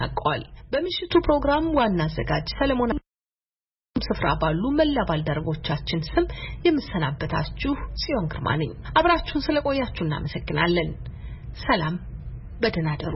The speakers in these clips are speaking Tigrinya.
ተጠናቋል። በምሽቱ ፕሮግራም ዋና አዘጋጅ ሰለሞን ስፍራ ባሉ መላ ባልደረቦቻችን ስም የምሰናበታችሁ ጽዮን ግርማ ነኝ። አብራችሁን ስለቆያችሁ እናመሰግናለን። ሰላም፣ በደህና ደሩ።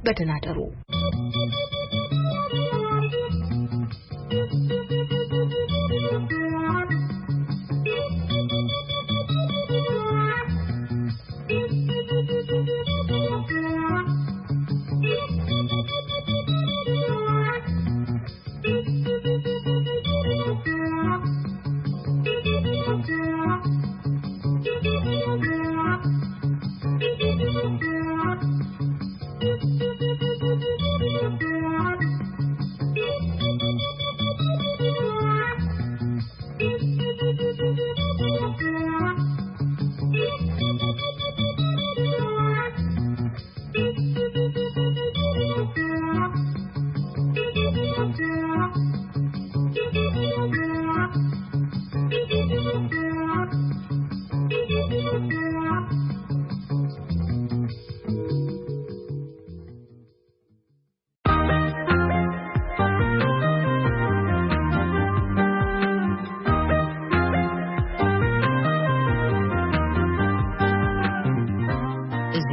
በደህና ደሩ። እዚ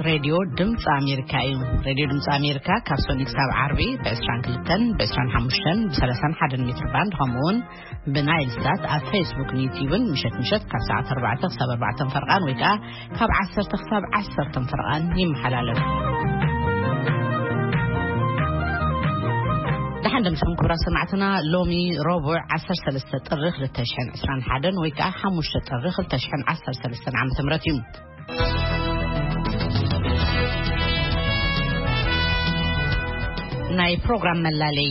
ሬድዮ ድምፂ ኣሜሪካ እዩ። ሬድዮ ድምፂ ኣሜሪካ ካብ ሰኑይ ክሳብ ዓርቢ ብ22፣ ብ25፣ ብ31 ሜትር ባንድ፣ ከምኡ እውን ብናይል ሳት ኣብ ፌስቡክን ዩቲዩብን ምሸት ምሸት ካብ ሰዓት ኣርባዕተ ክሳብ ኣርባዕተ ፈርቓን ወይ ከዓ ካብ ዓሰርተ ክሳብ ዓሰርተ ፈርቓን ይመሓላለፍ። ደሓን ደምስኹም ክቡራት ሰማዕትና። ሎሚ ረቡዕ ዓሰርተ ሰለስተ ጥሪ ክልተ ሽሕን ዕስራን ሓደን ወይ ከዓ ሓሙሽተ ጥሪ ክልተ ሽሕን ዓሰርተ ሰለስተን ዓመተ ምህረት እዩ። ናይ ፕሮግራም መላለይ።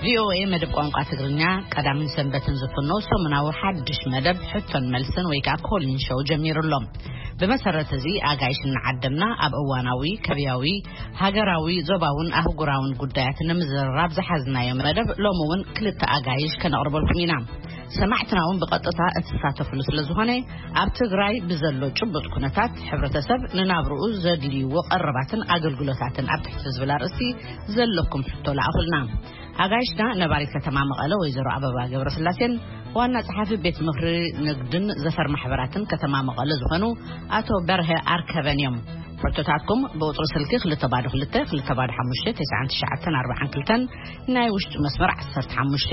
ቪኦኤ መደብ ቋንቋ ትግርኛ ቀዳምን ሰንበትን ዝፍኖ ሰሙናዊ ሓድሽ መደብ ሕቶን መልስን ወይ ከዓ ኮሊን ሾው ጀሚሩ ኣሎ። ብመሰረት እዚ ኣጋይሽ እናዓደምና ኣብ እዋናዊ፣ ከባቢያዊ፣ ሃገራዊ፣ ዞባውን ኣህጉራውን ጉዳያት ንምዝርራብ ዝሓዝናዮ መደብ ሎሚ እውን ክልተ ኣጋይሽ ከነቕርበልኩም ኢና። ሰማዕትና እውን ብቐጥታ እትሳተፍሉ ስለ ዝኾነ ኣብ ትግራይ ብዘሎ ጭቡጥ ኩነታት ሕብረተሰብ ንናብርኡ ዘድልይዎ ቀረባትን ኣገልግሎታትን ኣብ ትሕቲ ዝብል ኣርእስቲ ዘለኩም ሕቶ ለኣኹልና። ኣጋይሽና ነባሪት ከተማ መቐለ ወይዘሮ ኣበባ ገብረስላሴን ዋና ጸሓፊ ቤት ምኽሪ ንግድን ዘፈር ማሕበራትን ከተማ መቐለ ዝኾኑ ኣቶ በርሀ ኣርከበን እዮም። ሕቶታትኩም ብቁጽሪ ስልኪ ክልተ ባዶ ክልተ፣ ክልተ ባዶ ሓሙሽተ፣ ተስዓን ትሽዓተን ኣርባዓን ክልተን፣ ናይ ውሽጢ መስመር ዓሰርተ ሓሙሽተ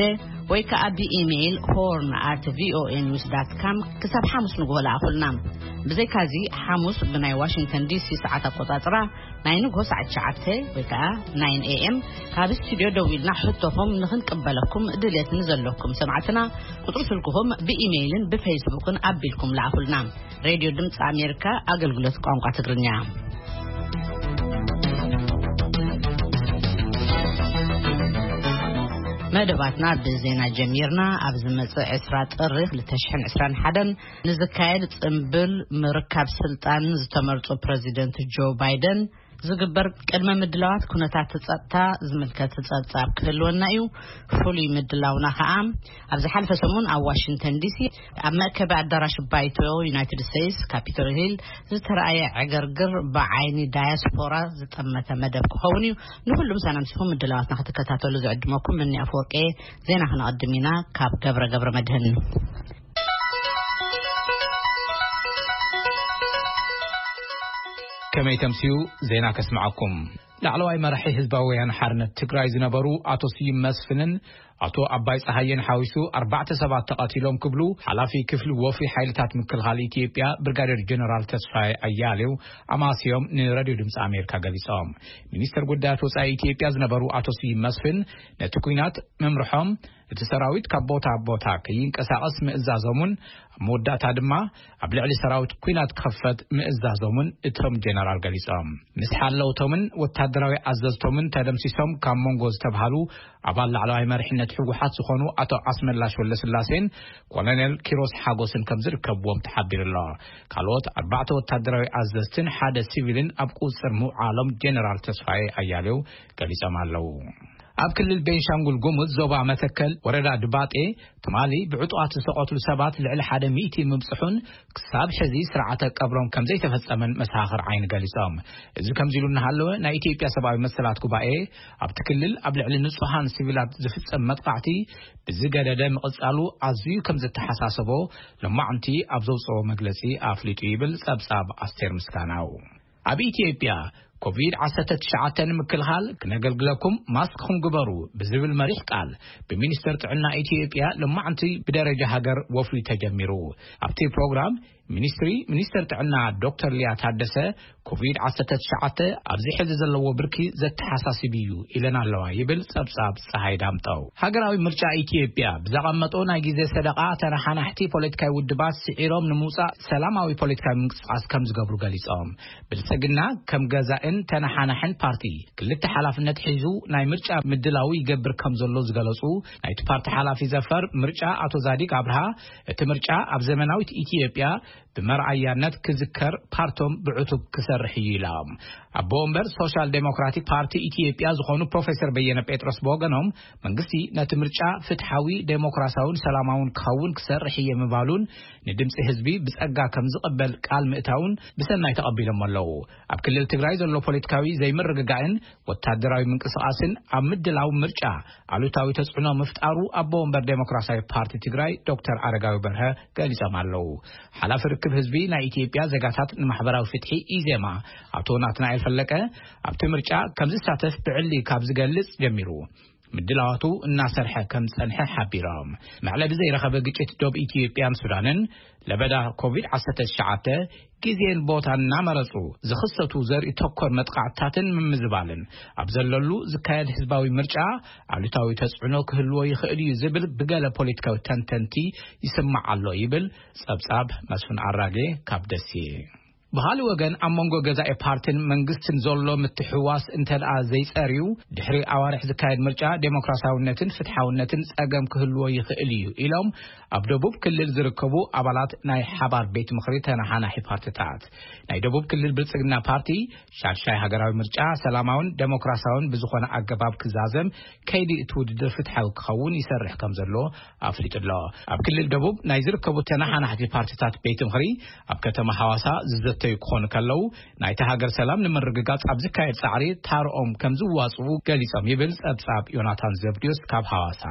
ወይ ከኣ ብኢሜይል ሆርን ኣት ቪኦኤ ኒውስ ዳት ካም ክሳብ ሓሙስ ንግሆ ለኣኹልና። ብዘይካዚ ሓሙስ ብናይ ዋሽንግተን ዲሲ ሰዓት ኣቆጻጽራ ናይ ንግሆ ሰዓት ትሽዓተ ወይ ከኣ ናይን ኤ ኤም ካብ ስቱድዮ ደዊልና ሕቶኹም ንኽንቅበለኩም ድልየት ንዘለኩም ሰማዕትና ቁጽሪ ስልክኹም ብኢሜይልን ብፌስቡክን ኣቢልኩም ለኣኹልና። ሬድዮ ድምፂ ኣሜሪካ ኣገልግሎት ቋንቋ ትግርኛ። መደባትና ብዜና ጀሚርና። ኣብ ዝመጽእ ዕስራ ጥሪ ክልተ ሽሕን ዕስራን ሓደን ንዝካየድ ጽምብል ምርካብ ስልጣን ዝተመርጹ ፕረዚደንት ጆ ባይደን ዝግበር ቅድመ ምድላዋት ኩነታት ጸጥታ ዝምልከት ጸብጻብ ክህልወና እዩ። ፍሉይ ምድላውና ከኣ ኣብ ዝሓለፈ ሰሙን ኣብ ዋሽንግተን ዲሲ ኣብ መእከቢ ኣዳራሽ ባይቶ ዩናይትድ ስቴትስ ካፒቶል ሂል ዝተረኣየ ዕግርግር ብዓይኒ ዳያስፖራ ዝጠመተ መደብ ክኸውን እዩ። ንኹሉም ሰናምሲኹም ምድላዋትና ክትከታተሉ ዝዕድመኩም ምኒ ኣፈወርቂ። ዜና ክነቐድም ኢና። ካብ ገብረ ገብረ መድህን። ከመይ ተምስዩ ዜና ከስምዓኩም። ላዕለዋይ መራሒ ህዝባዊ ወያነ ሓርነት ትግራይ ዝነበሩ ኣቶ ስዩም መስፍንን ኣቶ ኣባይ ጸሃየን ሓዊሱ ኣርባዕተ ሰባት ተቐቲሎም ክብሉ ሓላፊ ክፍሊ ወፍሪ ሓይልታት ምክልኻል ኢትዮጵያ ብርጋዴር ጀነራል ተስፋዬ ኣያሌው ኣማስዮም ንሬድዮ ድምፂ ኣሜሪካ ገሊጾም። ሚኒስተር ጉዳያት ወጻኢ ኢትዮጵያ ዝነበሩ ኣቶ ስዩም መስፍን ነቲ ኲናት ምምርሖም እቲ ሰራዊት ካብ ቦታ ኣብ ቦታ ከይንቀሳቐስ ምእዛዞምን ኣብ መወዳእታ ድማ ኣብ ልዕሊ ሰራዊት ኲናት ክኸፈት ምእዛዞምን እቶም ጀነራል ገሊጾም። ምስ ሓለውቶምን ወታደራዊ ኣዘዝቶምን ተደምሲሶም ካብ መንጎ ዝተብሃሉ ኣባል ላዕለዋይ መሪሕነት ህወሓት ዝኾኑ ኣቶ ኣስመላሽ ወለስላሴን ኮሎኔል ኪሮስ ሓጎስን ከም ዝርከብዎም ተሓቢሩ ኣሎ። ካልኦት ኣርባዕተ ወታደራዊ ኣዘዝትን ሓደ ሲቪልን ኣብ ቁጽር ምውዓሎም ጀነራል ተስፋዬ ኣያሌው ገሊጾም ኣለዉ። ኣብ ክልል ቤንሻንጉል ጉሙዝ ዞባ መተከል ወረዳ ድባጤ ትማሊ ብዕጡቓት ዝተቐትሉ ሰባት ልዕሊ ሓደ ሚእቲ ምብጽሑን ክሳብ ሕዚ ስርዓተ ቀብሮም ከም ዘይተፈጸመን መሰኻኽር ዓይኒ ገሊጾም። እዚ ከምዚ ኢሉ እናሃለወ ናይ ኢትዮጵያ ሰብኣዊ መሰላት ጉባኤ ኣብቲ ክልል ኣብ ልዕሊ ንጹሃን ሲቪላት ዝፍጸም መጥቃዕቲ ብዝገደደ ምቕጻሉ ኣዝዩ ከም ዘተሓሳሰቦ ሎማዕንቲ ኣብ ዘውጽኦ መግለጺ ኣፍሊጡ ይብል ጸብጻብ ኣስቴር ምስጋናው። ኣብ ኢትዮጵያ ኮቪድ ዓሰርተ ትሽዓተ ንምክልኻል ክነገልግለኩም ማስክኹም ግበሩ ብዝብል መሪሕ ቃል ብሚኒስተር ጥዕና ኢትዮጵያ ሎማዕንቲ ብደረጃ ሃገር ወፍሪ ተጀሚሩ። ኣብቲ ፕሮግራም ሚኒስትሪ ሚኒስተር ጥዕና ዶክተር ሊያ ታደሰ ኮቪድ ዓሰርተ ትሽዓተ ኣብዚ ሕዚ ዘለዎ ብርኪ ዘተሓሳስብ እዩ ኢለን ኣለዋ ይብል ጸብጻብ ጸሃይ ዳምጠው። ሃገራዊ ምርጫ ኢትዮጵያ ብዘቐመጦ ናይ ግዜ ሰደቓ ተነሓናሕቲ ፖለቲካዊ ውድባት ስዒሮም ንምውጻእ ሰላማዊ ፖለቲካዊ ምንቅስቃስ ከም ዝገብሩ ገሊጾም። ብልጽግና ከም ገዛእን ተነሓናሕን ፓርቲ ክልተ ሓላፍነት ሒዙ ናይ ምርጫ ምድላው ይገብር ከም ዘሎ ዝገለጹ ናይቲ ፓርቲ ሓላፊ ዘፈር ምርጫ ኣቶ ዛዲግ ኣብርሃ እቲ ምርጫ ኣብ ዘመናዊት ኢትዮጵያ ብመርኣያነት ክዝከር ፓርቶም ብዕቱብ ክሰርሕ እዩ ኢሎም። ኣቦ ወንበር ሶሻል ዴሞክራቲክ ፓርቲ ኢትዮጵያ ዝኾኑ ፕሮፌሰር በየነ ጴጥሮስ ብወገኖም መንግስቲ ነቲ ምርጫ ፍትሓዊ፣ ዴሞክራሲያውን ሰላማውን ክኸውን ክሰርሕ እየ ምባሉን ንድምፂ ህዝቢ ብጸጋ ከም ዝቕበል ቃል ምእታውን ብሰናይ ተቐቢሎም ኣለዉ። ኣብ ክልል ትግራይ ዘሎ ፖለቲካዊ ዘይምርግጋእን ወታደራዊ ምንቅስቃስን ኣብ ምድላው ምርጫ ኣሉታዊ ተጽዕኖ ምፍጣሩ ኣቦ ወንበር ዴሞክራሲያዊ ፓርቲ ትግራይ ዶክተር ኣረጋዊ በርሀ ገሊጾም ኣለዉ። ሓላፊ ርክብ ህዝቢ ናይ ኢትዮጵያ ዜጋታት ንማሕበራዊ ፍትሒ ኢዜማ ኣቶ ናትናኤል ፈለቀ ኣብቲ ምርጫ ከም ዝሳተፍ ብዕሊ ካብ ዝገልጽ ጀሚሩ ምድላዋቱ እናሰርሐ ከም ዝጸንሐ ሓቢሮም። መዕለቢ ዘይረኸበ ግጭት ዶብ ኢትዮጵያን ሱዳንን ለበዳ ኮቪድ ዓሰርተ ትሽዓተ ግዜን ቦታን እናመረጹ ዝኽሰቱ ዘርኢ ተኮር መጥቃዕትታትን ምምዝባልን ኣብ ዘለሉ ዝካየድ ህዝባዊ ምርጫ ኣሉታዊ ተጽዕኖ ክህልዎ ይኽእል እዩ ዝብል ብገለ ፖለቲካዊ ተንተንቲ ይስማዕ ኣሎ ይብል ጸብጻብ መስፍን ኣራጌ ካብ ደሴ። ብኻልእ ወገን ኣብ መንጎ ገዛኢ ፓርትን መንግስትን ዘሎ ምትሕውዋስ እንተ ደኣ ዘይጸርዩ ድሕሪ ኣዋርሕ ዝካየድ ምርጫ ዴሞክራሲያውነትን ፍትሓውነትን ጸገም ክህልዎ ይኽእል እዩ ኢሎም ኣብ ደቡብ ክልል ዝርከቡ ኣባላት ናይ ሓባር ቤት ምኽሪ ተነሓናሒ ፓርትታት። ናይ ደቡብ ክልል ብልጽግና ፓርቲ ሻድሻይ ሃገራዊ ምርጫ ሰላማውን ዴሞክራሲያውን ብዝኾነ ኣገባብ ክዛዘም ከይዲ እቲ ውድድር ፍትሓዊ ክኸውን ይሰርሕ ከም ዘሎ ኣፍሊጡ ኣሎ። ኣብ ክልል ደቡብ ናይ ዝርከቡ ተነሓናሕቲ ፓርትታት ቤት ምኽሪ ኣብ ከተማ ሓዋሳ ዝዘተዩ ክኾኑ ከለዉ ናይቲ ሃገር ሰላም ንምርግጋጽ ኣብ ዝካየድ ጻዕሪ ታርኦም ከም ዝዋጽኡ ገሊጾም ይብል ጸብጻብ ዮናታን ዘብድዮስ ካብ ሓዋሳ።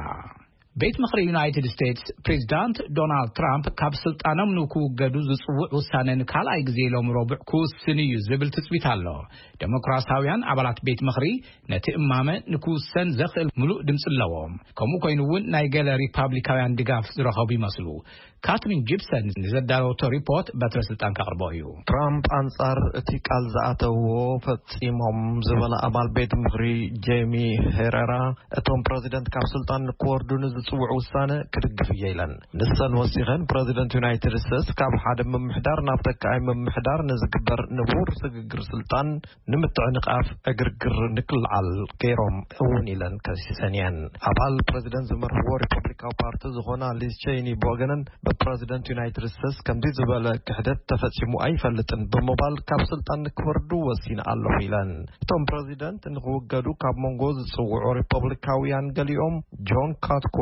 ቤት ምኽሪ ዩናይትድ ስቴትስ ፕሬዚዳንት ዶናልድ ትራምፕ ካብ ስልጣኖም ንክውገዱ ዝጽውዕ ውሳነ ንካልኣይ ግዜ ሎም ረቡዕ ክውስን እዩ ዝብል ትጽቢት ኣሎ። ዴሞክራሲያውያን ኣባላት ቤት ምኽሪ ነቲ እማመ ንክውሰን ዘኽእል ምሉእ ድምፂ ኣለዎም። ከምኡ ኮይኑ እውን ናይ ገለ ሪፓብሊካውያን ድጋፍ ዝረኸቡ ይመስሉ። ካትሪን ጂፕሰን ንዘዳለወቶ ሪፖርት በትረ ስልጣን ከቕርቦ እዩ። ትራምፕ ኣንጻር እቲ ቃል ዝኣተውዎ ፈጺሞም ዝበላ ኣባል ቤት ምኽሪ ጄሚ ሄረራ እቶም ፕረዚደንት ካብ ስልጣን ንክወርዱ ንዝጽውዕ ውሳነ ክድግፍ እየ ኢለን። ንሰን ወሲኸን ፕረዚደንት ዩናይትድ ስቴትስ ካብ ሓደ ምምሕዳር ናብ ተካኣይ ምምሕዳር ንዝግበር ንቡር ስግግር ስልጣን ንምትዕንቓፍ ዕግርግር ንክልዓል ገይሮም እውን ኢለን ከሲሰን እየን። ኣባል ፕረዚደንት ዝመርሕዎ ሪፐብሊካዊ ፓርቲ ዝኾና ሊዝ ቼይኒ ብወገነን ብፕረዚደንት ዩናይትድ ስቴትስ ከምዚ ዝበለ ክሕደት ተፈጺሙ ኣይፈልጥን ብምባል ካብ ስልጣን ንክወርዱ ወሲነ ኣለኹ ኢለን። እቶም ፕረዚደንት ንክውገዱ ካብ መንጎ ዝጽውዑ ሪፐብሊካውያን ገሊኦም ጆን ካትኮ፣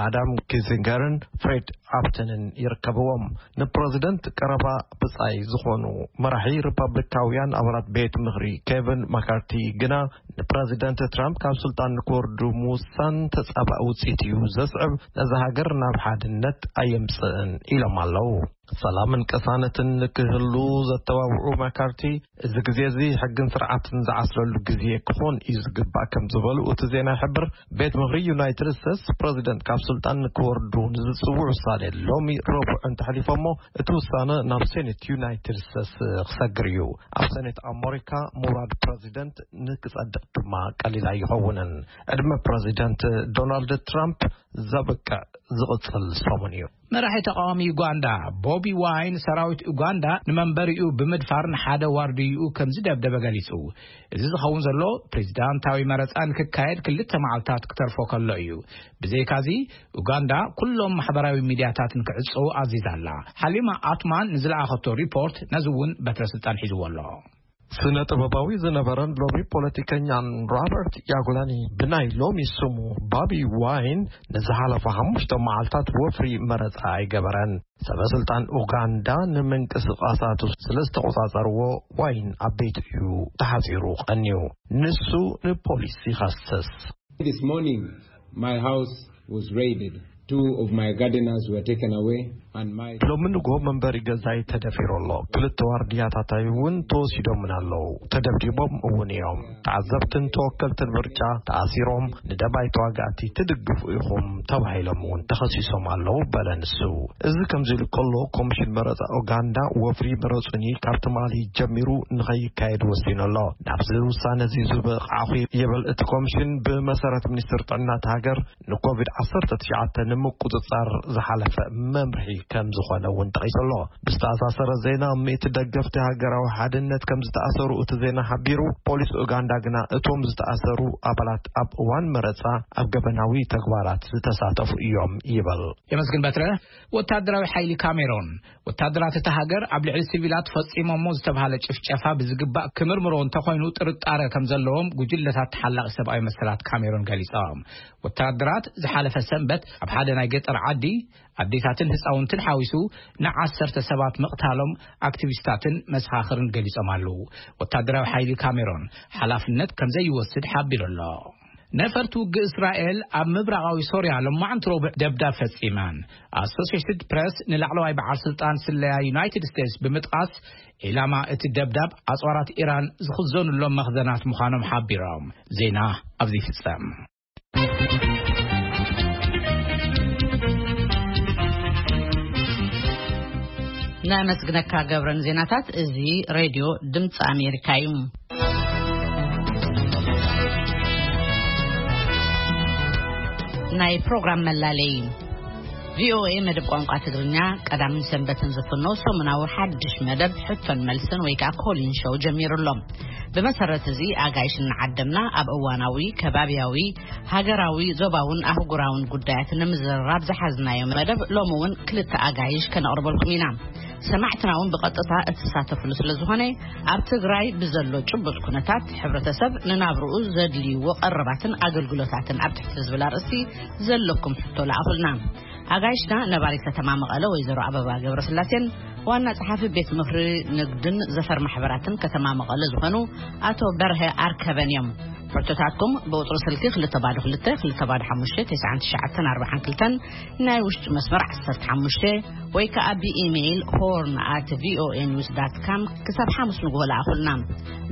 ኣዳም ኪሲንገርን ፍሬድ ኣብተንን ይርከብዎም። ንፕረዚደንት ቀረባ ብጻይ ዝኾኑ መራሒ ሪፐብሊካውያን ኣባላት ቤት ምኽሪ ኬቪን ማካርቲ ግና ንፕረዚደንት ትራምፕ ካብ ስልጣን ንክወርዱ ምውሳን ተጻባእ ውጽኢት እዩ ዘስዕብ፣ ነዛ ሃገር ናብ ሓድነት ኣየምጽእን ኢሎም ኣለዉ። ሰላምን ቅሳነትን ንክህሉ ዘተባብዑ ማካርቲ፣ እዚ ግዜ እዚ ሕግን ስርዓትን ዝዓስለሉ ግዜ ክኾን እዩ ዝግባእ ከም ዝበሉ እቲ ዜና ይሕብር። ቤት ምኽሪ ዩናይትድ ስቴትስ ፕረዚደንት ካብ ስልጣን ንክወርዱ ንዝጽውዑ ውሳኔ ሎሚ ረቡዕ እንተሕሊፎሞ፣ እቲ ውሳነ ናብ ሴኔት ዩናይትድ ስቴትስ ክሰግር እዩ። ኣብ ሴኔት ኣመሪካ ምውራድ ፕረዚደንት ንክጸድቕ ድማ ቀሊል ኣይኸውንን። ዕድመ ፕረዚደንት ዶናልድ ትራምፕ ዘብቅዕ ዝቕጽል ሰሙን እዩ። መራሒ ተቃዋሚ ዩጋንዳ ቦቢ ዋይን ሰራዊት ኡጋንዳ ንመንበሪኡ ብምድፋር ንሓደ ዋርድይኡ ከም ዝደብደበ ገሊጹ። እዚ ዝኸውን ዘሎ ፕሬዚዳንታዊ መረጻ ንክካየድ ክልተ መዓልታት ክተርፎ ከሎ እዩ። ብዘይካዚ ኡጋንዳ ኩሎም ማሕበራዊ ሚዲያታት ንክዕጽው ኣዚዛ ኣላ። ሓሊማ ኣትማን ንዝለኣኸቶ ሪፖርት ነዚ እውን በትረ ስልጣን ሒዝዎ ኣሎ። ስነ ጥበባዊ ዝነበረን ሎሚ ፖለቲከኛን ሮበርት ያጉላኒ ብናይ ሎሚ ስሙ ባቢ ዋይን ንዝሓለፈ ሓሙሽተ መዓልታት ወፍሪ መረጻ ኣይገበረን። ሰበ ስልጣን ኡጋንዳ ንምንቅስቃሳቱ ስለ ዝተቆጻጸርዎ ዋይን ኣብ ቤቱ እዩ ተሓጺሩ ቀንዩ። ንሱ ንፖሊስ ይኸስስ። This morning, my house was raided. Two of my gardeners were taken away, and my ሎሚ ንግሆ መንበሪ ገዛይ ተደፊሩ ኣሎ። ክልተ ዋርድያታታይ እውን ተወሲዶምን ኣለዉ። ተደብዲቦም እውን እዮም። ተዓዘብትን ተወከልትን ምርጫ ተኣሲሮም፣ ንደባይ ተዋጋእቲ ትድግፉ ኢኹም ተባሂሎም እውን ተኸሲሶም ኣለዉ በለ ንሱ። እዚ ከምዚ ኢሉ ከሎ፣ ኮሚሽን መረጻ ኡጋንዳ ወፍሪ ምረጹኒ ካብ ትማሊ ጀሚሩ ንኸይካየድ ወሲኑ ኣሎ። ናብዚ ውሳነ እዚ ዝበቕዓኹ ይብል እቲ ኮሚሽን። ብመሰረት ሚኒስትር ጥዕና እቲ ሃገር፣ ንኮቪድ ዓሰርተ ትሽዓተ ንምቁጽጻር ዝሓለፈ መምርሒ ከም ዝኾነ እውን ጠቒሱ ኣሎ። ብዝተኣሳሰረ ዜና፣ ሚእቲ ደገፍቲ ሃገራዊ ሓድነት ከም ዝተኣሰሩ እቲ ዜና ሓቢሩ። ፖሊስ ኡጋንዳ ግና እቶም ዝተኣሰሩ ኣባላት ኣብ እዋን መረጻ ኣብ ገበናዊ ተግባራት ዝተሳተፉ እዮም ይብል። የመስግን በትረ። ወታደራዊ ሓይሊ ካሜሮን፣ ወታደራት እታ ሃገር ኣብ ልዕሊ ሲቪላት ፈጺሞሞ ዝተባህለ ጭፍጨፋ ብዝግባእ ክምርምሮ እንተኾይኑ ጥርጣረ ከም ዘለዎም ጉጅለታት ተሓላቒ ሰብኣዊ መሰላት ካሜሮን ገሊጾም። ወታደራት ዝሓለፈ ሰንበት ኣብ ሓደ ናይ ገጠር ዓዲ ኣዴታትን ህፃውንትን ሓዊሱ ንዓሰርተ ሰባት ምቕታሎም ኣክቲቪስታትን መሰኻኽርን ገሊጾም ኣለዉ። ወታደራዊ ሓይሊ ካሜሮን ሓላፍነት ከም ዘይወስድ ሓቢሩ ኣሎ። ነፈርቲ ውግእ እስራኤል ኣብ ምብራቓዊ ሶርያ ሎማዕንቲ ረቡዕ ደብዳብ ፈጺመን። ኣሶሲየትድ ፕረስ ንላዕለዋይ በዓል ስልጣን ስለያ ዩናይትድ ስቴትስ ብምጥቃስ፣ ዒላማ እቲ ደብዳብ ኣጽዋራት ኢራን ዝኽዘኑሎም መኽዘናት ምዃኖም ሓቢሮም። ዜና ኣብዚ ይፍጸም። ነመስግነካ ገብረን ዜናታት። እዚ ሬድዮ ድምፂ ኣሜሪካ እዩ። ናይ ፕሮግራም መላለይ። ቪኦኤ መደብ ቋንቋ ትግርኛ ቀዳምን ሰንበትን ዝፍኖ ሰሙናዊ ሓድሽ መደብ ሕቶን መልስን ወይ ከዓ ኮሊን ሾው ጀሚሩ ኣሎ። ብመሰረት እዚ ኣጋይሽ እናዓደምና ኣብ እዋናዊ፣ ከባብያዊ፣ ሃገራዊ፣ ዞባውን ኣህጉራውን ጉዳያት ንምዝርራብ ዝሓዝናዮ መደብ ሎሚ እውን ክልተ ኣጋይሽ ከነቕርበልኩም ኢና። ሰማዕትና እውን ብቐጥታ እትሳተፍሉ ስለ ዝኾነ፣ ኣብ ትግራይ ብዘሎ ጭቡጥ ኩነታት ሕብረተሰብ ንናብርኡ ዘድልይዎ ቀረባትን ኣገልግሎታትን ኣብ ትሕቲ ዝብል ኣርእስቲ ዘለኩም ሕቶ ለኣኹልና። ኣጋይሽና ነባሪት ከተማ መቐለ ወይዘሮ ኣበባ ገብረስላሴን ዋና ጸሓፊ ቤት ምኽሪ ንግድን ዘፈር ማሕበራትን ከተማ መቐለ ዝኾኑ ኣቶ በርሀ ኣርከበን እዮም። ሕቶታትኩም ብቁጽሪ ስልኪ ክልተ ባዶ ክልተ፣ ክልተ ባዶ ሓሙሽተ፣ ተስዓን ትሽዓተን ኣርባዓን ክልተን፣ ናይ ውሽጢ መስመር ዓሰርተ ሓሙሽተ፣ ወይ ከኣ ብኢሜይል ሆርን ኣት ቪኦኤ ኒውስ ዳት ካም ክሳብ ሓሙስ ንግሆ ለኣኹልና።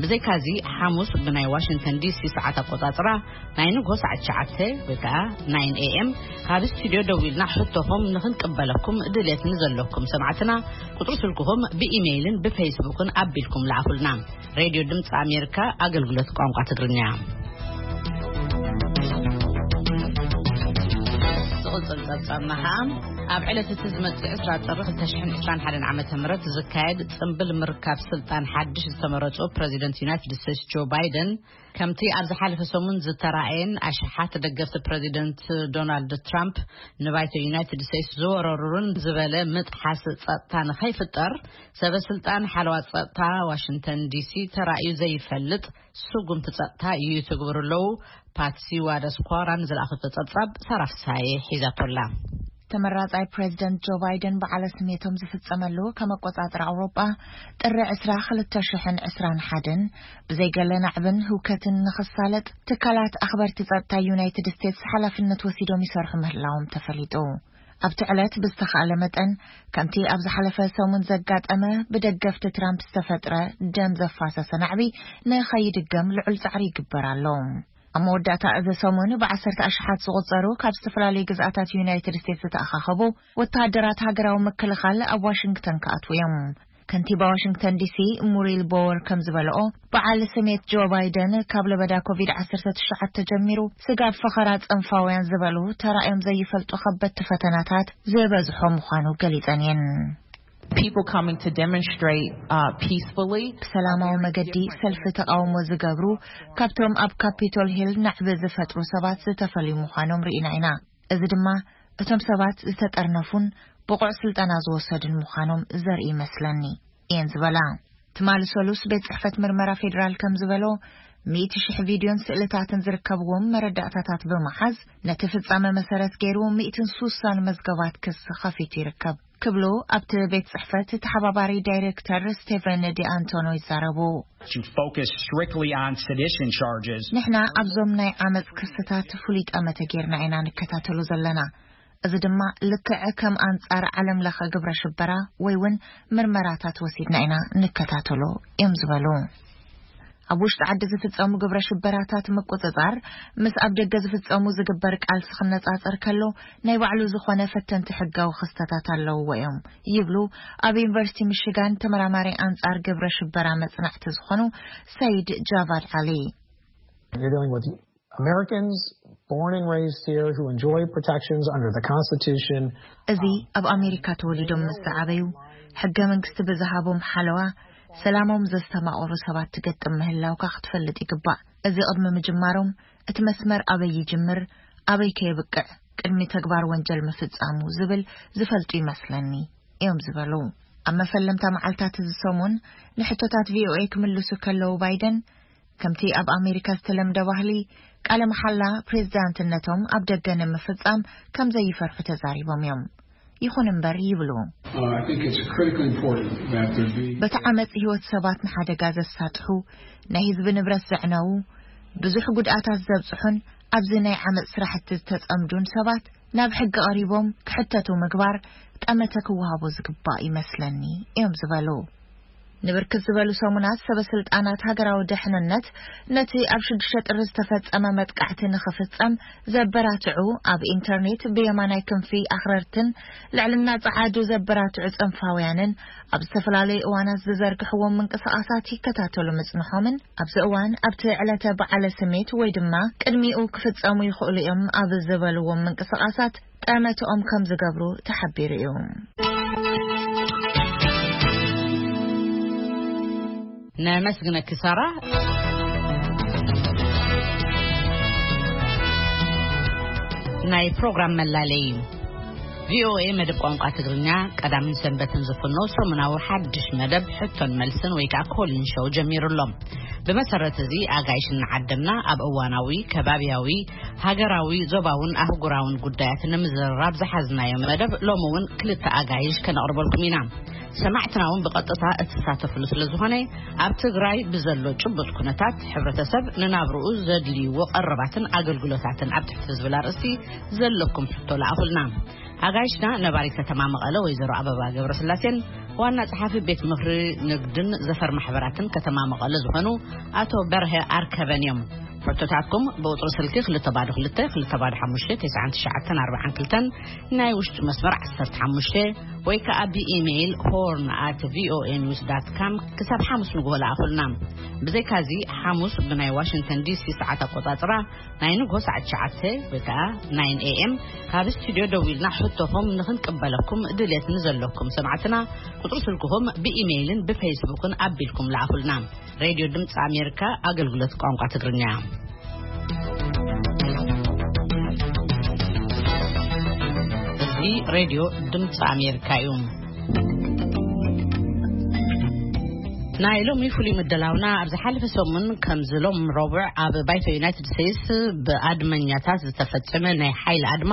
ብዘይካዚ፣ ሓሙስ ብናይ ዋሽንግተን ዲሲ ሰዓት ኣቆጻጽራ ናይ ንግሆ ሰዓት ትሽዓተ ወይ ከኣ ናይን ኤ ኤም ካብ ስቱድዮ ደዊልና ሕቶኹም ንኽንቅበለኩም ድሌት ንዘለኩም ሰማዕትና፣ ቁጽሪ ስልክኹም ብኢሜይልን ብፌስቡክን ኣቢልኩም ለኣኹልና። ሬድዮ ድምፂ ኣሜሪካ ኣገልግሎት ቋንቋ ትግርኛ። ዝቕጽል ጸብጻብና ኸኣ፣ ኣብ ዕለት እቲ ዝመጽእ ዕስራ ጥሪ ክልተ ሽሕን ዕስራን ሓደን ዓመተ ምህረት ዝካየድ ጽምብል ምርካብ ስልጣን ሓድሽ ዝተመረጹ ፕረዚደንት ዩናይትድ ስቴትስ ጆ ባይደን፣ ከምቲ ኣብ ዝሓለፈ ሰሙን ዝተራእየን ኣሽሓት ደገፍቲ ፕረዚደንት ዶናልድ ትራምፕ ንባይቶ ዩናይትድ ስቴትስ ዝወረሩን ዝበለ ምጥሓስ ጸጥታ ንኸይፍጠር፣ ሰበ ስልጣን ሓለዋ ጸጥታ ዋሽንግተን ዲሲ ተራእዩ ዘይፈልጥ ስጉምቲ ጸጥታ ይትግብሩ ኣለዉ። ፓትሲ ዋደስኳራ ንዝለኣኸቶ ጸብጻብ ሳራ ፍሳዬ ሒዛቶ ኣላ። ተመራጻይ ፕሬዝደንት ጆ ባይደን በዓለ ስሜቶም ዝፍጸመሉ ከም ኣቆጻጽራ ኣውሮጳ ጥሪ ዕስራ ክልተ ሽሕን ዕስራን ሓደን ብዘይገለ ናዕብን ህውከትን ንኽሳለጥ ትካላት ኣኽበርቲ ጸጥታ ዩናይትድ ስቴትስ ሓላፍነት ወሲዶም ይሰርሑ ምህላዎም ተፈሊጡ። ኣብቲ ዕለት ብዝተኻእለ መጠን ከምቲ ኣብ ዝሓለፈ ሰሙን ዘጋጠመ ብደገፍቲ ትራምፕ ዝተፈጥረ ደም ዘፋሰሰ ናዕቢ ንኸይድገም ልዑል ጻዕሪ ይግበር ኣሎ። ኣብ መወዳእታ እዚ ሰሙን ብዓሰርተ ኣሽሓት ዝቑጸሩ ካብ ዝተፈላለዩ ግዝኣታት ዩናይትድ ስቴትስ ዝተኣኻኸቡ ወተሃደራት ሃገራዊ ምክልኻል ኣብ ዋሽንግተን ክኣትዉ እዮም። ከንቲባ ዋሽንግተን ዲሲ ሙሪል ቦወር ከም ዝበለኦ፣ በዓል ስሜት ጆ ባይደን ካብ ለበዳ ኮቪድ ዓሰርተ ትሽዓተ ጀሚሩ ስጋብ ፈኸራ ጽንፋውያን ዝበሉ ተራእዮም ዘይፈልጡ ከበድቲ ፈተናታት ዝበዝሖ ምዃኑ ገሊጸን እየን። People coming to demonstrate uh, peacefully. ብሰላማዊ መገዲ ሰልፊ ተቃውሞ ዝገብሩ ካብቶም ኣብ ካፒቶል ሂል ናዕቢ ዝፈጥሩ ሰባት ዝተፈልዩ ምዃኖም ርኢና ኢና። እዚ ድማ እቶም ሰባት ዝተጠርነፉን ብቑዕ ስልጠና ዝወሰዱን ምዃኖም ዘርኢ ይመስለኒ እየን ዝበላ። ትማሊ ሰሉስ ቤት ጽሕፈት ምርመራ ፌዴራል ከም ዝበሎ፣ ሚእቲ ሽሕ ቪድዮን ስእልታትን ዝርከብዎም መረዳእታታት ብምሓዝ ነቲ ፍጻመ መሰረት ገይሩ ሚእትን ሱሳን መዝገባት ክስ ኸፊቱ ይርከብ ክብሉ ኣብቲ ቤት ጽሕፈት ተሓባባሪ ዳይሬክተር ስቴቨን ዲኣንቶኖ ይዛረቡ። To focus strictly on sedition charges. ንሕና ኣብዞም ናይ ዓመፅ ክስታት ፍሉይ ጠመተ ጌርና ኢና ንከታተሎ ዘለና። እዚ ድማ ልክዕ ከም ኣንጻር ዓለም ለኸ ግብረ ሽበራ ወይ እውን ምርመራታት ወሲድና ኢና ንከታተሎ እዮም ዝበሉ። ኣብ ውሽጢ ዓዲ ዝፍጸሙ ግብረ ሽበራታት ምቁጽጻር ምስ ኣብ ደገ ዝፍጸሙ ዝግበር ቃልሲ ክነጻጸር ከሎ ናይ ባዕሉ ዝኾነ ፈተንቲ ሕጋዊ ክስተታት ኣለውዎ እዮም ይብሉ ኣብ ዩኒቨርሲቲ ሚሽጋን ተመራማሪ ኣንጻር ግብረ ሽበራ መጽናዕቲ ዝኾኑ ሰይድ ጃቫድ ዓሊ። You're dealing with Americans born and raised here who enjoy protections under the Constitution. እዚ ኣብ ኣሜሪካ ተወሊዶም ምስ ዝዓበዩ ሕገ መንግስቲ ብዝሃቦም ሓለዋ ሰላሞም ዘስተማቕሩ ሰባት ትገጥም ምህላውካ ክትፈልጥ ይግባእ። እዚ ቅድሚ ምጅማሮም እቲ መስመር ኣበይ ይጅምር ኣበይ ከየብቅዕ ቅድሚ ተግባር ወንጀል ምፍጻሙ ዝብል ዝፈልጡ ይመስለኒ እዮም ዝበሉ። ኣብ መፈለምታ መዓልታት እዚ ሰሙን ንሕቶታት ቪኦኤ ክምልሱ ከለዉ ባይደን ከምቲ ኣብ ኣሜሪካ ዝተለምደ ባህሊ ቃለ መሓላ ፕሬዝዳንትነቶም ኣብ ደገ ንምፍጻም ከም ዘይፈርሑ ተዛሪቦም እዮም። ይኹን እምበር ይብሉ፣ Uh, I think it's critically important that there be በቲ ዓመፅ ህይወት ሰባት ንሓደጋ ዘሳጥሑ ናይ ህዝቢ ንብረት ዘዕነዉ ብዙሕ ጉድኣታት ዘብፅሑን ኣብዚ ናይ ዓመፅ ስራሕቲ ዝተፀምዱን ሰባት ናብ ሕጊ ቀሪቦም ክሕተቱ ምግባር ጠመተ ክወሃቦ ዝግባእ ይመስለኒ እዮም ዝበሉ። ንብርክት ዝበሉ ሰሙናት ሰበ ስልጣናት ሃገራዊ ደሕንነት ነቲ ኣብ ሽዱሽተ ጥሪ ዝተፈጸመ መጥቃዕቲ ንኽፍጸም ዘበራትዑ ኣብ ኢንተርኔት ብየማናይ ክንፊ ኣኽረርትን ልዕልና ጸዓዱ ዘበራትዑ ጽንፋውያንን ኣብ ዝተፈላለዩ እዋናት ዝዘርግሕዎም ምንቅስቓሳት ይከታተሉ ምጽንሖምን ኣብዚ እዋን ኣብቲ ዕለተ በዓለ ስሜት ወይ ድማ ቅድሚኡ ክፍጸሙ ይኽእሉ እዮም ኣብ ዝበልዎም ምንቅስቓሳት ጠመትኦም ከም ዝገብሩ ተሓቢሩ እዩ። ነመስግነኪ ሳራ። ናይ ፕሮግራም መላለይ እዩ። ቪኦኤ መደብ ቋንቋ ትግርኛ ቀዳምን ሰንበትን ዝፍኖ ሰሙናዊ ሓድሽ መደብ ሕቶን መልስን ወይ ከዓ ኮሊን ሾው ጀሚሩ ኣሎ። ብመሰረት እዚ ኣጋይሽ እናዓደምና ኣብ እዋናዊ፣ ከባብያዊ፣ ሃገራዊ፣ ዞባውን ኣህጉራውን ጉዳያት ንምዝርራብ ዝሓዝናዮ መደብ ሎሚ እውን ክልተ ኣጋይሽ ከነቕርበልኩም ኢና። ሰማዕትና እውን ብቐጥታ እትሳተፍሉ ስለ ዝኾነ ኣብ ትግራይ ብዘሎ ጭቡጥ ኩነታት ሕብረተሰብ ንናብርኡ ዘድልይዎ ቀረባትን ኣገልግሎታትን ኣብ ትሕቲ ዝብል ኣርእስቲ ዘለኩም ሕቶ ለኣኹልና። ኣጋይሽና ነባሪት ከተማ መቐለ ወይዘሮ ኣበባ ገብረስላሴን ዋና ጸሓፊ ቤት ምኽሪ ንግድን ዘፈር ማሕበራትን ከተማ መቐለ ዝኾኑ ኣቶ በርሀ ኣርከበን እዮም። ሕቶታትኩም ብቁጽሪ ስልኪ ክልተ ባዶ ክልተ ክልተ ባዶ ሓሙሽተ ተስዓን ትሽዓተን ኣርባዓን ክልተን ናይ ውሽጢ መስመር ዓሰርተ ሓሙሽተ ወይ ከኣ ብኢሜይል ሆርን ኣት ቪኦኤ ኒውስ ዳት ካም ክሳብ ሓሙስ ንግሆ ለኣኹልና። ብዘይካዚ ሓሙስ ብናይ ዋሽንግተን ዲሲ ሰዓት ኣቆጻጽራ ናይ ንግሆ ሰዓት ትሽዓተ ወይ ከኣ ናይን ኤ ኤም ካብ ስቱድዮ ደዊልና ሕቶኹም ንኽንቅበለኩም ድሌት ንዘለኩም ሰማዕትና ቁጽሪ ስልክኹም ብኢሜይልን ብፌስቡክን ኣቢልኩም ለኣኹልና። ሬድዮ ድምፂ ኣሜሪካ ኣገልግሎት ቋንቋ ትግርኛ። እዚ ሬድዮ ድምፂ ኣሜሪካ እዩ። ናይ ሎሚ ፍሉይ ምድላውና፣ ኣብ ዝሓለፈ ሰሙን ከምዚ ሎም ረቡዕ ኣብ ባይቶ ዩናይትድ ስቴትስ ብኣድመኛታት ዝተፈጸመ ናይ ሓይሊ ኣድማ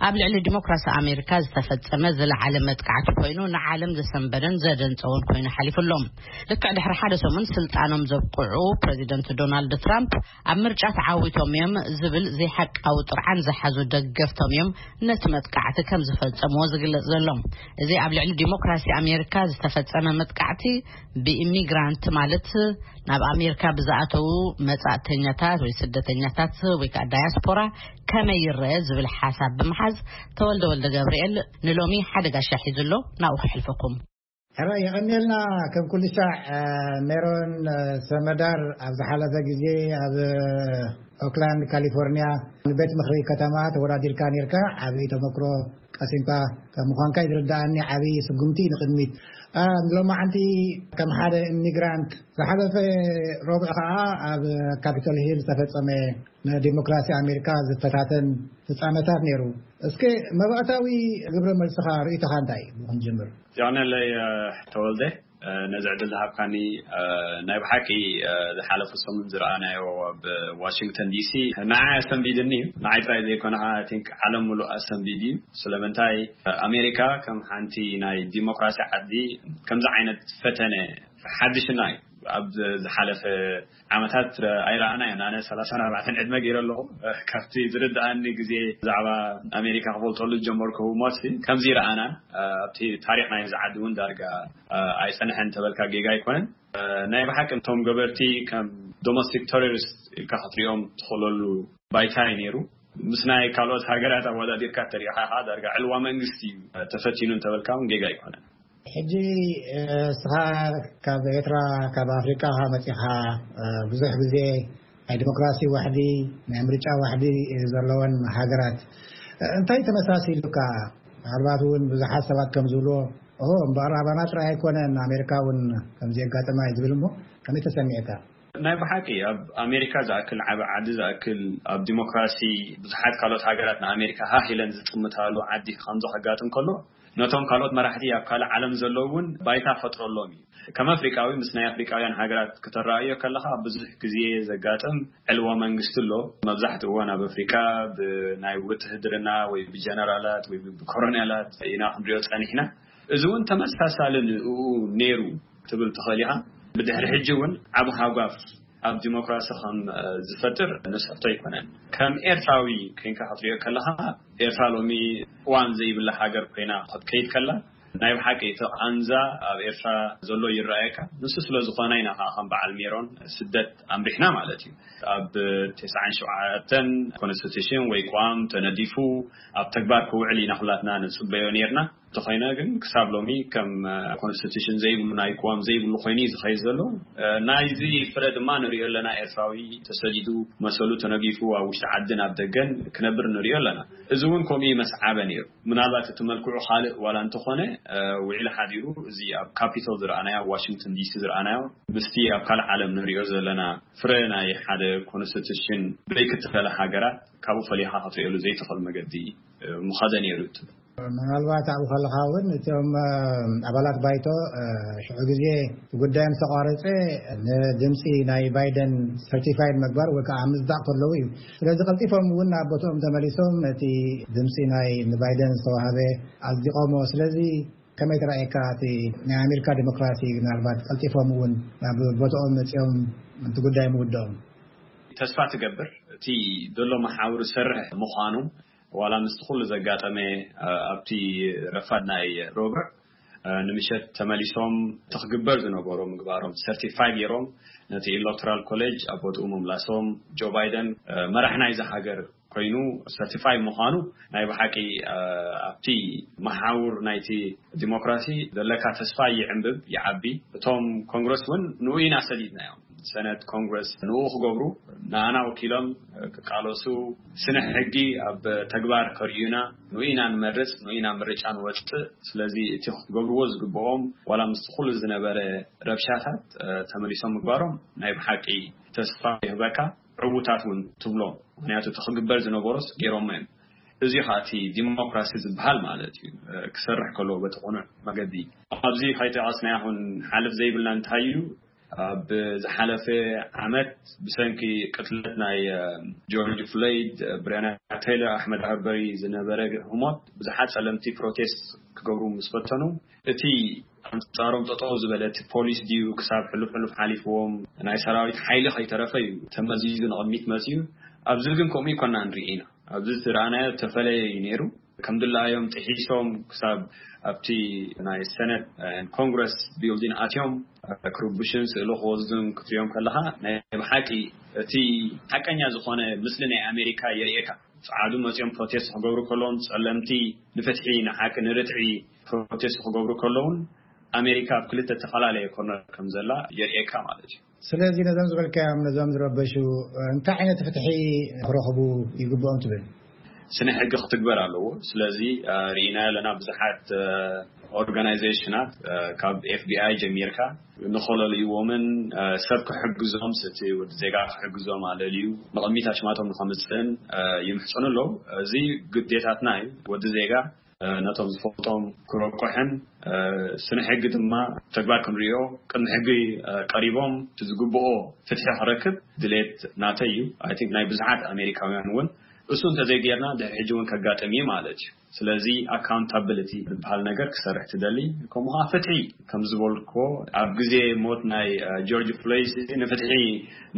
ኣብ ልዕሊ ዲሞክራሲ ኣሜሪካ ዝተፈጸመ ዝለዓለ መጥቃዕቲ ኮይኑ፣ ንዓለም ዘሰንበደን ዘደንጸወን ኮይኑ ሓሊፉ ኣሎ። ልክዕ ድሕሪ ሓደ ሰሙን ስልጣኖም ዘብቅዑ ፕሬዚደንት ዶናልድ ትራምፕ፣ ኣብ ምርጫ ተዓዊቶም እዮም ዝብል ዘይሓቃዊ ጥርዓን ዝሓዙ ደገፍቶም እዮም ነቲ መጥቃዕቲ ከም ዝፈጸምዎ ዝግለጽ ዘሎ። እዚ ኣብ ልዕሊ ዲሞክራሲ ኣሜሪካ ዝተፈጸመ መጥቃዕቲ፣ ብኢሚግራንት፣ ማለት ናብ ኣሜሪካ ብዝኣተዉ መጻእተኛታት ወይ ስደተኛታት ወይ ከዓ ዳያስፖራ ከመይ ይረአ ዝብል ሓሳብ ብምሓዝ፣ ተወልደ ወልደ ገብርኤል ንሎሚ ሓደ ጋሻ ሒዙ ኣሎ። ናብኡ ከሕልፈኩም። ሕራይ የቐንየልና። ከም ኩሉ ሻዕ፣ እ፣ ሜሮን፣ እ፣ ሰመዳር ኣብ ዝሓለፈ ግዜ ኣብ፣ እ፣ ኦክላንድ ካሊፎርኒያ ንቤት ምኽሪ ከተማ ተወዳዲርካ ነርካ። ዓብዪ ተመክሮ ቀሲምካ ከም ምዃንካ እዩ ዝርድኣኒ። ዓብዪ ስጉምቲ ንቕድሚት። እ፣ ሎማዓንቲ ከም ሓደ ኢሚግራንት ዝሓለፈ ረቡዕ ከዓ ኣብ ካፒቶል ሂል ዝተፈጸመ ንዲሞክራሲ ኣሜሪካ ዝፈታተን ፍጻመታት ነይሩ። እስከ መባእታዊ ግብረ መልስኻ፣ ርእይቶኻ እንታይ እዩ? ንኽንጅምር። ዚያነለይ ተወልደ፣ ነዚ ዕድል ዝሃብካኒ። ናይ ብሓቂ ዝሓለፉ ሰሙን ዝረኣናዮ ኣብ ዋሽንግተን ዲሲ ንዓይ ኣሰንቢድኒ እዩ። ንዓይ ጥራይ ዘይኮነ፣ I think ዓለም ሙሉእ ኣሰንቢድ እዩ። ስለምንታይ? ኣሜሪካ ከም ሓንቲ ናይ ዲሞክራሲ ዓዲ ከምዚ ዓይነት ፈተነ ሓድሽና እዩ። ኣብ ዝሓለፈ ዓመታት ኣይረኣናዮን። ኣነ ሰላሳን ኣርባዕተን ዕድመ ገይረ ኣለኹ። ካብቲ ዝርድኣኒ ግዜ ብዛዕባ ኣሜሪካ ክፈልጠሉ ዝጀመርኩ ህሞት ከምዚ ይረኣናን ኣብቲ ታሪኽ ናይ እዚ ዓዲ እውን ዳርጋ ኣይጸንሐን ተበልካ ጌጋ ኣይኮነን። ናይ ብሓቂ እቶም ገበርቲ ከም ዶሜስቲክ ቴሮሪስት ኢልካ ክትሪኦም ትኽእለሉ ባይታ እዩ ነይሩ። ምስ ናይ ካልኦት ሃገራት ኣወዳዲርካ ተሪእኻ ኸዓ ዳርጋ ዕልዋ መንግስቲ እዩ ተፈቲኑ እንተበልካ እውን ጌጋ ኣይኮነን። ሕጂ፣ እ፣ እስኻ ካብ ኤርትራ፣ ካብ ኣፍሪቃ ኢኻ መጺኻ፣ እ፣ ብዙሕ ግዜ ናይ ዲሞክራሲ ዋሕዲ፣ ናይ ምርጫ ዋሕዲ፣ እ፣ ዘለወን ሃገራት፣ እ፣ እንታይ ተመሳሲሉካ? ምናልባት እውን ብዙሓት ሰባት ከም ዝብልዎ፣ ኦ፣ እምበኣር ኣባና ጥራይ ኣይኮነን፣ ኣሜሪካ እውን ከምዚ የጋጥማ እዩ ዝብል እሞ፣ ከመይ ተሰሚዕካ? ናይ ብሓቂ ኣብ ኣሜሪካ ዝኣክል ዓቢ ዓዲ ዝኣክል ኣብ ዲሞክራሲ ብዙሓት ካልኦት ሃገራት ንኣሜሪካ ሃህ ኢለን ዝጥምታሉ ዓዲ ከምዚ ከጋጥም ከሎ፣ ነቶም ካልኦት መራሕቲ ኣብ ካልእ ዓለም ዘለዉ እውን ባይታ ፈጥረሎም እዩ። ከም ኣፍሪቃዊ ምስ ናይ ኣፍሪቃውያን ሃገራት ከተረኣዮ ከለኻ ብዙሕ ግዜ ዘጋጥም ዕልዋ መንግስቲ ኣሎ። መብዛሕትኡ እዋን ኣብ ኣፍሪቃ ብናይ ውትህድርና ወይ ብጀነራላት ወይ ብኮሮኔላት ኢና ክንሪኦ ጸኒሕና። እዚ እውን ተመሳሳሊ ንኡ ነይሩ ትብል ትኽእል ኢኻ። ብድሕሪ ሕጂ እውን ዓቢ ሃጓፍ ኣብ ዲሞክራሲ ከም፣ እ፣ ዝፈጥር ንስሕቶ ኣይኮነን። ከም ኤርትራዊ ኮይንካ ክትሪኦ ከለኻ፣ ኤርትራ ሎሚ ቅዋም ዘይብላ ሃገር ኮይና ክትከይድ ከላ፣ ናይ ብሓቂ እቲ ቃንዛ ኣብ ኤርትራ ዘሎ ይረኣየካ። ንሱ ስለ ዝኾነ ኢና ከዓ ከም በዓል ሜሮን ስደት ኣምሪሕና ማለት እዩ። ኣብ ተስዓን ሸውዓተን ኮንስቲቱሽን ወይ ቅዋም ተነዲፉ ኣብ ተግባር ክውዕል ኢና ኩላትና ንጽበዮ ነይርና። እንተኾይነ ግን ክሳብ ሎሚ ከም፣ እ፣ ኮንስቲቱሽን ዘይብሉ፣ ናይ ቅዋም ዘይብሉ ኮይኑ እዩ ዝኸይድ ዘሎ። እ፣ ናይዚ ፍረ ድማ ንሪኦ ኣለና። ኤርትራዊ ተሰዲዱ፣ መሰሉ ተነጊፉ ኣብ ውሽጢ ዓድን ኣብ ደገን ክነብር ንሪኦ ኣለና። እዚ እውን ከምኡ ይመስዓበ ነይሩ። ምናልባት እቲ መልክዑ ካልእ ዋላ እንተኾነ፣ እ፣ ውዒሉ ሓዲሩ እዚ ኣብ ካፒቶል ዝረኣናዮ፣ ኣብ ዋሽንግተን ዲሲ ዝረኣናዮ፣ ምስቲ ኣብ ካልእ ዓለም ንሪኦ ዘለና ፍረ ናይ ሓደ ኮንስቲቱሽን ብደይ ክትፈለ ሃገራት ካብኡ ፈሊኻ ክትሪኦሉ ዘይትኽእል መገዲ፣ እ፣ ምኸደ ነይሩ እዩ። ምናልባት ኣብኡ ከለኻ እውን እቶም፣ እ፣ ኣባላት ባይቶ፣ እ፣ ሽዑ ግዜ ጉዳዮም ዝተቋረጸ ንድምፂ ናይ ባይደን ሰርቲፋይድ ምግባር ወይ ከዓ ምስዳቕ ከለዉ እዩ። ስለዚ ቀልጢፎም እውን ናብ ቦትኦም ተመሊሶም ነቲ ድምፂ ናይ ንባይደን ዝተዋህበ ኣጽዲቖሞ። ስለዚ ከመይ ተራእየካ እቲ ናይ ኣሜሪካ ዲሞክራሲ? ምናልባት ቀልጢፎም እውን ናብ ቦትኦም መጺኦም እቲ ጉዳይ ምውድኦም። ተስፋ ትገብር እቲ ዘሎ መሓውር ዝሰርሕ ምዃኑ፣ ዋላ ምስቲ ኩሉ ዘጋጠመ፣ እ፣ ኣብቲ ረፋድ ናይ ረቡዕ፣ እ፣ ንምሸት ተመሊሶም እቲ ክግበር ዝነበሮ ምግባሮም ሰርቲፋይ ገይሮም ነቲ ኤሌክቶራል ኮሌጅ ኣብ ቦትኡ ምምላሶም፣ ጆ ባይደን፣ እ፣ መራሕ ናይዛ ሃገር ኮይኑ ሰርቲፋይ ምዃኑ ናይ ብሓቂ፣ እ፣ ኣብቲ መሓውር ናይቲ ዲሞክራሲ ዘለካ ተስፋ ይዕንብብ፣ ይዓቢ። እቶም ኮንግረስ እውን ንኡ ኢና ሰዲድናዮም። ሰነት ኮንግረስ ንኡ ክገብሩ፣ ንኣና ወኪሎም ክቃለሱ፣ ስነ ሕጊ ኣብ ተግባር ከርእዩና ንኡ ኢና ንመርጽ፣ ንኡ ኢና ምርጫ ንወጽእ። ስለዚ እቲ ክትገብርዎ ዝግብኦም፣ ዋላ ምስቲ ኩሉ ዝነበረ ረብሻታት፣ እ፣ ተመሊሶም ምግባሮም ናይ ብሓቂ ተስፋ ይህበካ፣ ዕዉታት እውን ትብሎ። ምኽንያቱ እቲ ክግበር ዝነበሮስ ገይሮሞ እዮም። እዚ ኸኣ እቲ ዲሞክራሲ ዝበሃል ማለት እዩ። እ፣ ክሰርሕ ከሎ በቲ ቅኑዕ መገዲ። ኣብዚ ከይጠቐስናዮ ክንሓልፍ ዘይብልና እንታይ እዩ? ኣብ ዝሓለፈ ዓመት ብሰንኪ ቅትለት ናይ ጆርጅ ፍሎይድ፣ ብሬና ቴይለር፣ ኣሕመድ ኣርበሪ ዝነበረ ህሞት ብዙሓት ጸለምቲ ፕሮቴስት ክገብሩ ምስ ፈተኑ፣ እቲ ኣንጻሮም ጠጠው ዝበለ እቲ ፖሊስ ድዩ ክሳብ ሕሉፍ ሕሉፍ ሓሊፍዎም ናይ ሰራዊት ሓይሊ ከይተረፈ እዩ ተመዚዙ ንቕድሚት መጽዩ። ኣብዚ ግን ከምኡ ይኮና ንርኢ ኢና። ኣብዚ ዝረኣናዮ ተፈለየ እዩ ነይሩ። ከም ድላዮም ጥሒሶም ክሳብ ኣብቲ ናይ ሰነት ኮንግረስ ቢልዲን ኣትዮም ክርብሽን ስእሊ ክወስዱን ክትሪኦም ከለኻ ናይ ብሓቂ እቲ ሓቀኛ ዝኾነ ምስሊ ናይ ኣሜሪካ የርእየካ። ጸዓዱ መጺኦም ፕሮቴስት ክገብሩ ከለዎም ጸለምቲ ንፍትሒ ንሓቂ ንርትዒ ፕሮቴስት ክገብሩ ከለውን ኣሜሪካ ኣብ ክልተ ተፈላለየ ኮርነር ከም ዘላ የርእየካ ማለት እዩ። ስለዚ ነዞም ዝበልካዮም ነዞም ዝረበሹ እንታይ ዓይነት ፍትሒ ክረኽቡ ይግብኦም ትብል? ስነ ሕጊ ክትግበር ኣለዎ። ስለዚ ርኢና ኣለና ብዙሓት ኦርጋናይዜሽናት ካብ ኤፍቢኣይ ጀሚርካ ንኸለልይዎምን ሰብ ክሕግዞም ስቲ ወዲ ዜጋ ክሕግዞም ኣለልዩ ንቕሚት ኣሽማቶም ንኸምፅእን ይምሕፅኑ ኣለዉ። እዚ ግዴታትና እዩ። ወዲ ዜጋ ነቶም ዝፈልጦም ክረቁሕን ስነ ሕጊ ድማ ተግባር ክንሪኦ ቅድሚ ሕጊ ቀሪቦም ዝግብኦ ፍትሒ ክረክብ ድሌት ናተይ እዩ። ኣይ ቲንክ ናይ ብዙሓት ኣሜሪካውያን እውን እሱ እንተዘይጌርና ድሕሪ ሕጂ እውን ከጋጥም እዩ ማለት እዩ። ስለዚ ኣካውንታብሊቲ ዝበሃል ነገር ክሰርሕ ትደሊ። ከምኡ ከዓ ፍትሒ ከም ዝበልኮ ኣብ ግዜ ሞት ናይ ጆርጅ ፍሎይድ ንፍትሒ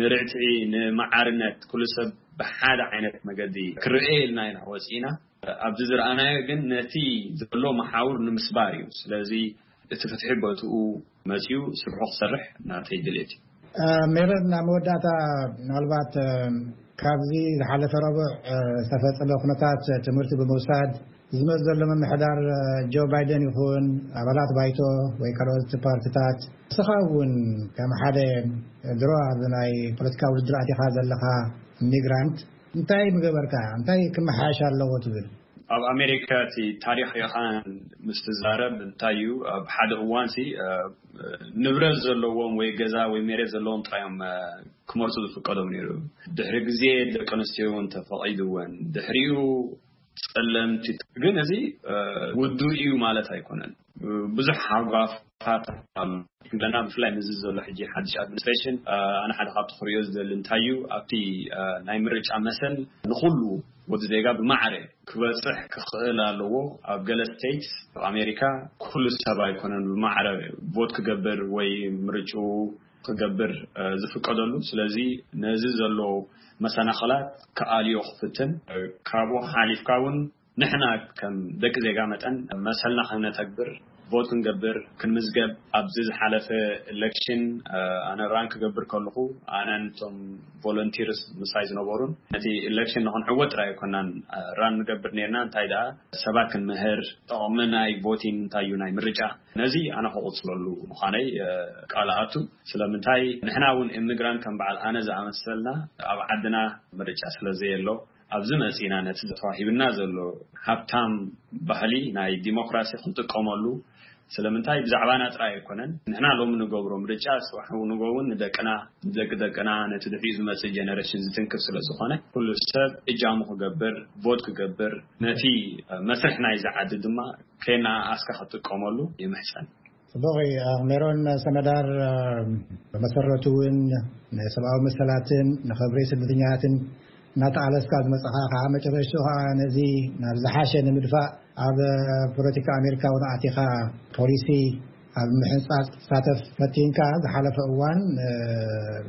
ንርትዒ ንመዓርነት ኩሉ ሰብ ብሓደ ዓይነት መገዲ ክርአ ኢልና ኢና ወፂእና። ኣብዚ ዝረኣናዮ ግን ነቲ ዘሎ መሓውር ንምስባር እዩ። ስለዚ እቲ ፍትሒ በትኡ መፅዩ ስርሑ ክሰርሕ ናተይ ድሌት እዩ። ሜሮን፣ ናብ መወዳእታ ምናልባት ካብዚ ዝሓለፈ ረቡዕ ዝተፈፀመ ኩነታት ትምህርቲ ብምውሳድ ዝመፅ ዘሎ ምምሕዳር ጆ ባይደን ይኹን ኣባላት ባይቶ ወይ ካልኦት ፓርቲታት ንስኻ እውን ከም ሓደ ድሮ ኣብ ናይ ፖለቲካ ውድድር ኣቲኻ ዘለኻ ኢሚግራንት እንታይ ምገበርካ እንታይ ክመሓየሽ ኣለዎ ትብል? ኣብ ኣሜሪካ እቲ ታሪኽ ኢኻን ምስ ትዛረብ እንታይ እዩ ኣብ ሓደ እዋን ሲ ንብረት ዘለዎም ወይ ገዛ ወይ መሬት ዘለዎም ጥራዮም ክመርፁ ዝፍቀዶም ነይሩ። ድሕሪ ግዜ ደቂ ኣንስትዮ እውን ተፈቒድወን ድሕሪኡ ጸለምቲ ግን እዚ ውዱ እዩ ማለት ኣይኮነን። ብዙሕ ሓጓፋት ኣለና ብፍላይ ምዚ ዘሎ ሕጂ ሓድሽ ኣድሚኒስትሬሽን ኣነ ሓደ ካብቲ ክሪኦ ዝደሊ እንታይ እዩ ኣብቲ ናይ ምርጫ መሰል ንኩሉ ወዲ ዜጋ ብማዕረ ክበፅሕ ክኽእል ኣለዎ። ኣብ ገለ ስቴትስ ኣብ ኣሜሪካ ኩሉ ሰብ ኣይኮነን ብማዕረ ቮት ክገብር ወይ ምርጭኡ ክገብር ዝፍቀደሉ። ስለዚ ነዚ ዘሎ መሰናኸላት ክኣልዮ ክፍትን ካብኡ ሓሊፍካ እውን ንሕና ከም ደቂ ዜጋ መጠን መሰልና ክነተግብር ቮት ክንገብር ክንምዝገብ ኣብዚ ዝሓለፈ ኤሌክሽን ኣነ ራን ክገብር ከለኹ ኣነን እቶም ቮለንቲርስ ምሳይ ዝነበሩን ነቲ ኤሌክሽን ንክንዕወት ጥራይ ኣይኮናን ራን ንገብር ነርና እንታይ ደኣ ሰባት ክንምህር ጠቕሚ ናይ ቮቲን እንታይ እዩ ናይ ምርጫ ነዚ ኣነ ክቕፅለሉ ምዃነይ ቃል ኣቱ። ስለምንታይ ንሕና እውን ኢሚግራንት ከም በዓል ኣነ ዝኣመሰልና ኣብ ዓድና ምርጫ ስለዘየሎ ኣብዚ መፂና ነቲ ተዋሂብና ዘሎ ሃብታም ባህሊ ናይ ዲሞክራሲ ክንጥቀመሉ ስለምንታይ ብዛዕባና ጥራይ ኣይኮነን ንሕና ሎሚ ንገብሮ ምርጫ ፅባሕ ንጎ እውን ንደቅና ንደቂ ደቅና ነቲ ድሕሪኡ ዝመፅእ ጀነሬሽን ዝትንክፍ ስለዝኾነ ኩሉ ሰብ እጃሙ ክገብር ቮት ክገብር ነቲ መስርሕ ናይዚ ዓዲ ድማ ከይና ኣስካ ክትጥቀመሉ ይምሕፀን። ጽቡቕ። ሜሮን ሰመዳር ብመሰረቱ እውን ንሰብኣዊ መሰላትን ንኽብሪ ስደተኛታትን እናተቓለስካ ዝመጻኻ ከዓ መጨረሽቱ ከዓ ነዚ ናብ ዝሓሸ ንምድፋእ ኣብ ፖለቲካ ኣሜሪካ እውን ኣቲኻ ፖሊሲ ኣብ ምሕንጻጽ ክትሳተፍ ፈቲንካ ዝሓለፈ እዋን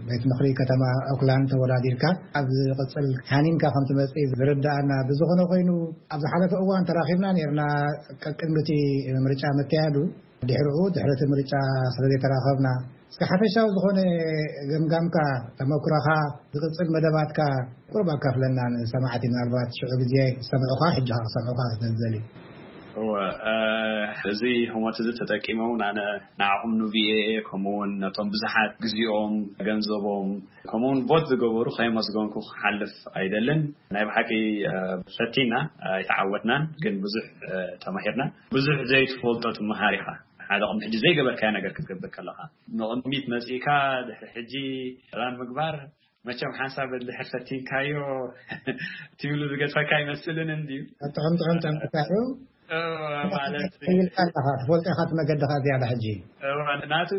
ቤት ምኽሪ ከተማ ኦክላንድ ተወዳዲርካ ኣብ ዝቕጽል ሓኒንካ ከም ትመጽእ ዝርዳእና ብዝኾነ ኮይኑ ኣብ ዝሓለፈ እዋን ተራኺብና ነርና ቅድሚ እቲ ምርጫ ምክያዱ ድሕርኡ ድሕሪ እቲ ምርጫ ስለ ዘይተራኸብና እስከ ሓፈሻዊ ዝኾነ ገምጋምካ ተመክሮኻ ዝቕጽል መደባትካ ቁሩብ ኣካፍለና ንሰማዕቲ ምናልባት ሽዑ ግዜ ዝሰምዑኻ ሕጂ ክሰምዑኻ ስለዝደልዩ። እወ እዚ ህሞት እዚ ተጠቂመ እውን ኣነ ንዓኹም ንቪኦኤ ከምኡ እውን ነቶም ብዙሓት ግዜኦም ገንዘቦም ከምኡ እውን ቮት ዝገበሩ ከየመስገንኩ ክሓልፍ ኣይደልን። ናይ ብሓቂ ፈቲና ኣይተዓወትናን ግን ብዙሕ ተማሂርና። ብዙሕ ዘይትፈልጦ ትመሃር ኢኻ። ሓደ ቅድሚ ሕጂ ዘይገበርካዮ ነገር ክትገብር ከለኻ ንቕድሚት መፂእካ ድሕሪ ሕጂ ራን ምግባር መቸም ሓንሳብ ድሕር ፈቲንካዮ ትብሉ ዝገድፈካ ኣይመስልን እንድዩ። ጥዑም ጥዑም ጠንቅካ እዩ። ማለት ኢልካ ኣለኻ ትፈልጦ ኢኻ እቲ መገድኻ ዝያዳ ሕጂ። ናቱ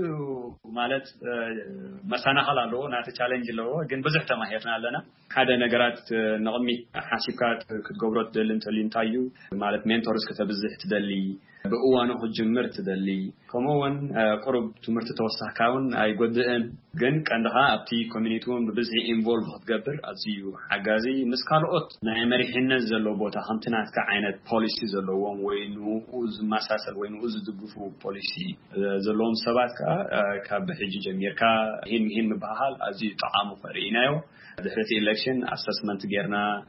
ማለት መሰናኸል ኣለዎ፣ ናቱ ቻለንጅ ኣለዎ። ግን ብዙሕ ተማሂርና ኣለና። ሓደ ነገራት ንቕድሚት ሓሲብካ ክትገብሮ ትደሊ እንተልዩ እንታይ እዩ ማለት ሜንቶርስ ከተብዝሕ ትደሊ፣ ብእዋኑ ክትጅምር ትደሊ፣ ከምኡ እውን ቁሩብ ትምህርቲ ተወሳኽካ እውን ኣይጎድእን። ግን ቀንድኻ ኣብቲ ኮሚኒቲ እውን ብብዝሒ ኢንቮልቭ ክትገብር ኣዝዩ ሓጋዚ፣ ምስ ካልኦት ናይ መሪሕነት ዘለዎ ቦታ ከምቲ ናትካ ዓይነት ፖሊሲ ዘለዎም ወይ ንኡ ዝመሳሰል ወይ ንኡ ዝድግፉ ፖሊሲ ዘለዎም ሰባት ከዓ ካብ ሕጂ ጀሚርካ ሂን ሂን ምበሃሃል ኣዝዩ ጠቓሙ ከርኢ ኢናዮ። ድሕሪ እቲ ኢሌክሽን ኣሰስመንት ጌርና